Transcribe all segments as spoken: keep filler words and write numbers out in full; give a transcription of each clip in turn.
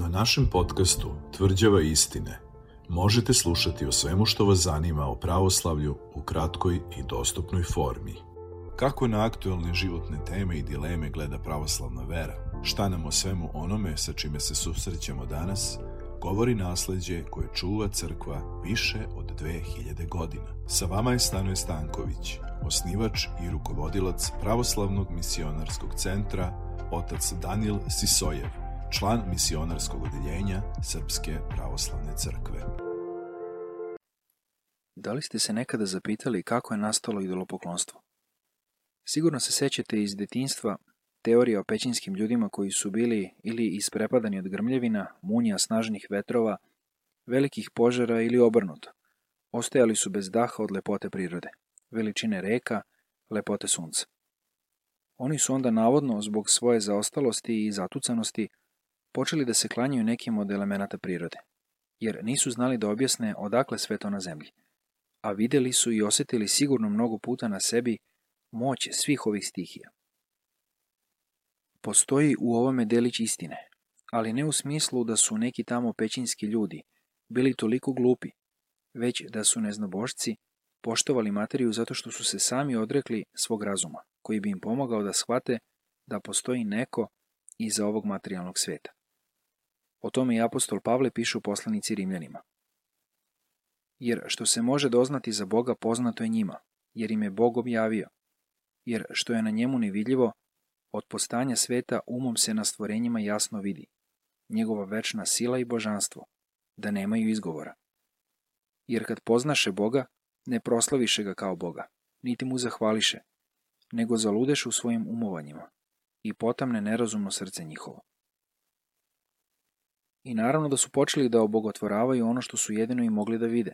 Na našem podcastu Tvrđava istine možete slušati o svemu što vas zanima o pravoslavlju u kratkoj i dostupnoj formi. Kako na aktuelne životne teme i dileme gleda pravoslavna vera? Šta nam o svemu onome sa čime se susrećemo danas govori nasleđe koje čuva crkva više od dve hiljade godina. Sa vama je Stanoje Stanković, osnivač i rukovodilac Pravoslavnog misionarskog centra, otac Danijel Sisojev, član misionarskog odeljenja Srpske pravoslavne crkve. Da li ste se nekada zapitali kako je nastalo idolopoklonstvo? Sigurno se sećate iz detinjstva teorija o pećinskim ljudima koji su bili ili isprepadani od grmljevina, munja, snažnih vetrova, velikih požara ili obrnuto. Ostajali su bez daha od lepote prirode, veličine reka, lepote sunca. Oni su onda navodno, zbog svoje zaostalosti i zatucanosti, počeli da se klanjaju nekim od elemenata prirode, jer nisu znali da objasne odakle sve to na zemlji, a videli su i osjetili sigurno mnogo puta na sebi moć svih ovih stihija. Postoji u ovome delić istine, ali ne u smislu da su neki tamo pećinski ljudi bili toliko glupi, već da su neznabošci poštovali materiju zato što su se sami odrekli svog razuma, koji bi im pomogao da shvate da postoji neko iza ovog materijalnog sveta. O tome i apostol Pavle piše u poslanici Rimljanima. Jer što se može doznati za Boga poznato je njima, jer im je Bog objavio, jer što je na njemu nevidljivo, od postanja sveta umom se na stvorenjima jasno vidi, njegova večna sila i božanstvo, da nemaju izgovora. Jer kad poznaše Boga, ne proslaviše ga kao Boga, niti mu zahvališe, nego zaludeš u svojim umovanjima i potamne nerazumno srce njihovo. I naravno da su počeli da obogotvoravaju ono što su jedino i mogli da vide.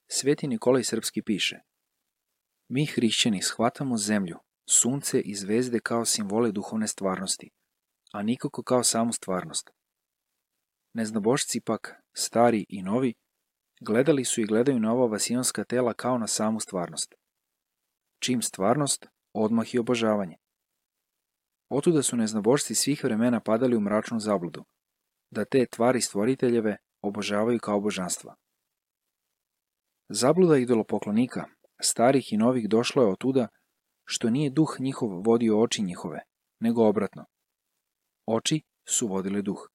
Sveti Nikolaj Srpski piše: Mi hrišćani shvatamo zemlju, sunce i zvezde kao simbole duhovne stvarnosti, a nikako kao samu stvarnost. Neznabošci pak, stari i novi, gledali su i gledaju na ova vasionska tela kao na samu stvarnost. Čim stvarnost, odmah i obožavanje. Otuda su neznabošci svih vremena padali u mračnu zabludu, da te tvari stvoriteljeve obožavaju kao božanstva. Zabluda idolopoklonika, starih i novih, došlo je otuda što nije duh njihov vodio oči njihove, nego obratno. Oči su vodile duh.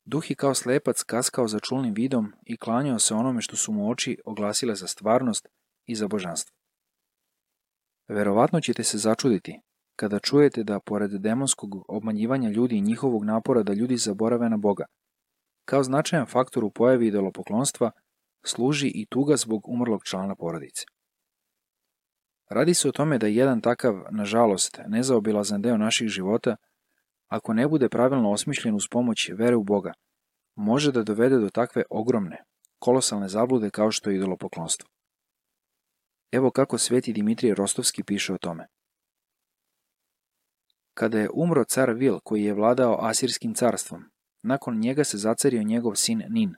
Duh je kao slepac kaskao za čulnim vidom i klanjao se onome što su mu oči oglasile za stvarnost i za božanstvo. Verovatno ćete se začuditi kada čujete da, pored demonskog obmanjivanja ljudi i njihovog napora da ljudi zaborave na Boga, kao značajan faktor u pojavi idolopoklonstva služi i tuga zbog umrlog člana porodice. Radi se o tome da jedan takav, nažalost, nezaobilazan deo naših života, ako ne bude pravilno osmišljen uz pomoć vere u Boga, može da dovede do takve ogromne, kolosalne zablude kao što je idolopoklonstvo. Evo kako sveti Dimitrije Rostovski piše o tome. Kada je umro car Vil, koji je vladao Asirskim carstvom, nakon njega se zacario njegov sin Nin.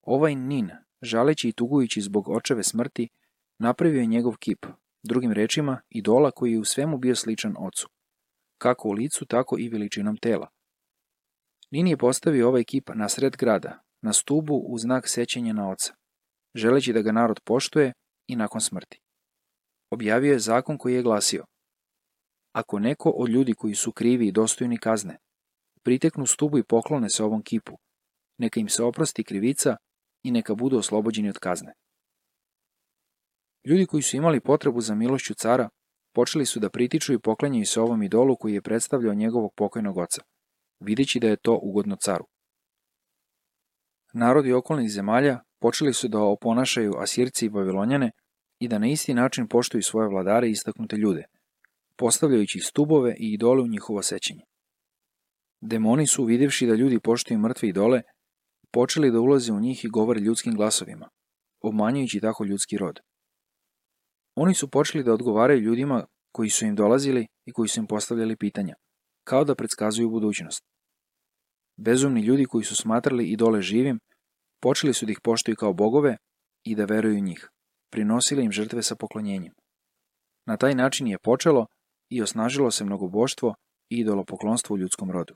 Ovaj Nin, žaleći i tugujući zbog očeve smrti, napravio je njegov kip, drugim rečima, idola koji je u svemu bio sličan ocu, kako u licu, tako i veličinom tela. Nin je postavio ovaj kip na sred grada, na stubu u znak sećanja na oca, želeći da ga narod poštuje i nakon smrti. Objavio je zakon koji je glasio: Ako neko od ljudi koji su krivi i dostojni kazne priteknu stubu i poklone se ovom kipu, neka im se oprosti krivica i neka budu oslobođeni od kazne. Ljudi koji su imali potrebu za milošću cara počeli su da pritiču i poklanjaju se ovom idolu koji je predstavljao njegovog pokojnog oca, videći da je to ugodno caru. Narodi okolnih zemalja počeli su da oponašaju Asirci i Babilonjane i da na isti način poštuju svoje vladare i istaknute ljude, postavljajući stubove i idole u njihovo sećanje. Demoni su, vidjevši da ljudi poštuju mrtve idole, počeli da ulaze u njih i govore ljudskim glasovima, obmanjujući tako ljudski rod. Oni su počeli da odgovaraju ljudima koji su im dolazili i koji su im postavljali pitanja, kao da predskazuju budućnost. Bezumni ljudi koji su smatrali idole živim, počeli su da ih poštuju kao bogove i da veruju u njih, prinosili im žrtve sa poklonjenjem. Na taj način je počelo i osnažilo se mnogoboštvo i idolopoklonstvo u ljudskom rodu.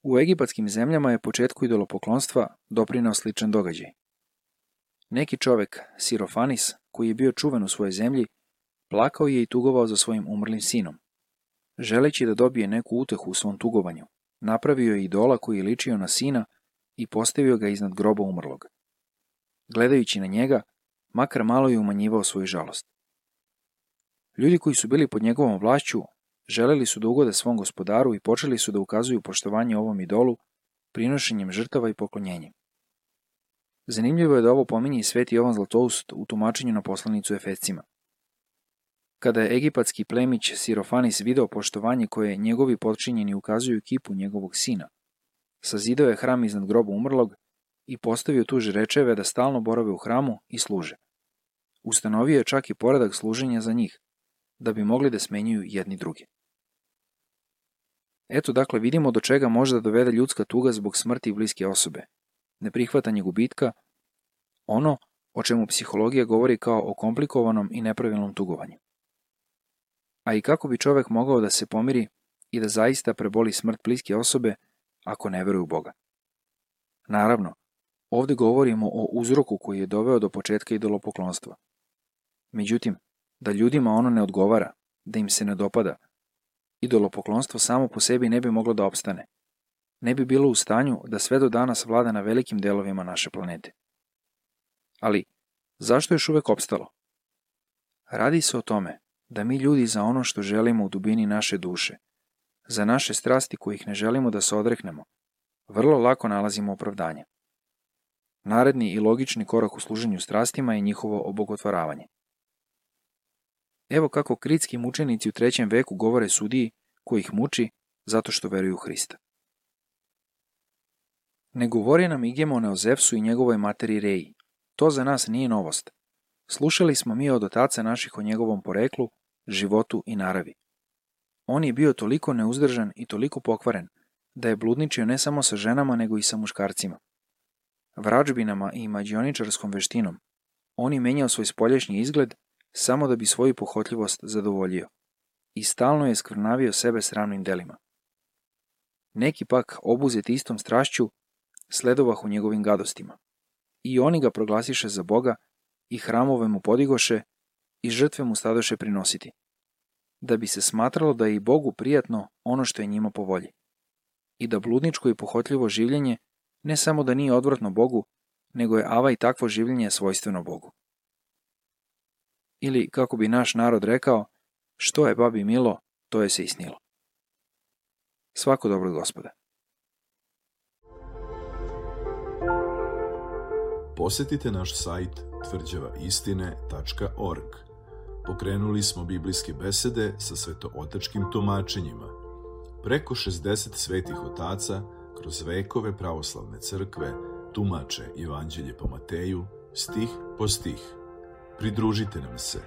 U egipatskim zemljama je početku idolopoklonstva doprineo sličan događaj. Neki čovek, Sirofanis, koji je bio čuven u svojoj zemlji, plakao je i tugovao za svojim umrlim sinom. Želeći da dobije neku utehu u svom tugovanju, napravio je idola koji je ličio na sina i postavio ga iznad groba umrlog. Gledajući na njega, makar malo je umanjivao svoju žalost. Ljudi koji su bili pod njegovom vlašću želeli su da ugode svom gospodaru i počeli su da ukazuju poštovanje ovom idolu prinošenjem žrtava i poklonjenjem. Zanimljivo je da ovo pominje i sveti Jovan Zlatoust u tumačenju na poslanicu Efescima. Kada je egipatski plemić Sirofanis video poštovanje koje njegovi potčinjeni ukazuju kipu njegovog sina, sazidao je hram iznad groba umrlog i postavio tu žrečeve da stalno borave u hramu i služe. Ustanovio je čak i poredak služenja za njih, da bi mogli da smenjuju jedni druge. Eto dakle vidimo do čega može da dovede ljudska tuga zbog smrti bliske osobe, neprihvatanje gubitka, ono o čemu psihologija govori kao o komplikovanom i nepravilnom tugovanju. A i kako bi čovek mogao da se pomiri i da zaista preboli smrt bliske osobe ako ne veruje u Boga? Naravno, ovde govorimo o uzroku koji je doveo do početka idolopoklonstva. Međutim, da ljudima ono ne odgovara, da im se ne dopada, idolopoklonstvo samo po sebi ne bi moglo da opstane. Ne bi bilo u stanju da sve do danas vlada na velikim delovima naše planete. Ali, zašto je još uvek opstalo? Radi se o tome da mi ljudi za ono što želimo u dubini naše duše, za naše strasti kojih ne želimo da se odreknemo, vrlo lako nalazimo opravdanje. Naredni i logični korak u služenju strastima je njihovo obogotvaravanje. Evo kako kritski mučenici u trećem veku govore sudiji koji ih muči zato što veruju u Hrista. Ne govori nam Igemone o Zevsu i njegovoj materi Reji. To za nas nije novost. Slušali smo mi od otaca naših o njegovom poreklu, životu i naravi. On je bio toliko neuzdržan i toliko pokvaren, da je bludničio ne samo sa ženama, nego i sa muškarcima. Vrađbinama i mađioničarskom veštinom on je menjao svoj spoljašnji izgled samo da bi svoju pohotljivost zadovoljio i stalno je skvrnavio sebe sramnim delima. Neki pak, obuzeti istom strašću, sledovah u njegovim gadostima. I oni ga proglasiše za Boga i hramove mu podigoše i žrtve mu stadoše prinositi, da bi se smatralo da je i Bogu prijatno ono što je njima po volji i da bludničko i pohotljivo življenje ne samo da nije odvratno Bogu, nego je ava i takvo življenje svojstveno Bogu. Ili, kako bi naš narod rekao, što je babi milo, to je se i snilo. Svako dobro od Gospoda. Posetite naš sajt tvrđava istine tačka org. Pokrenuli smo biblijske besede sa svetootačkim tumačenjima. Preko šezdeset svetih otaca kroz vekove pravoslavne crkve tumače Evanđelje po Mateju, stih po stih. Pridružite nam se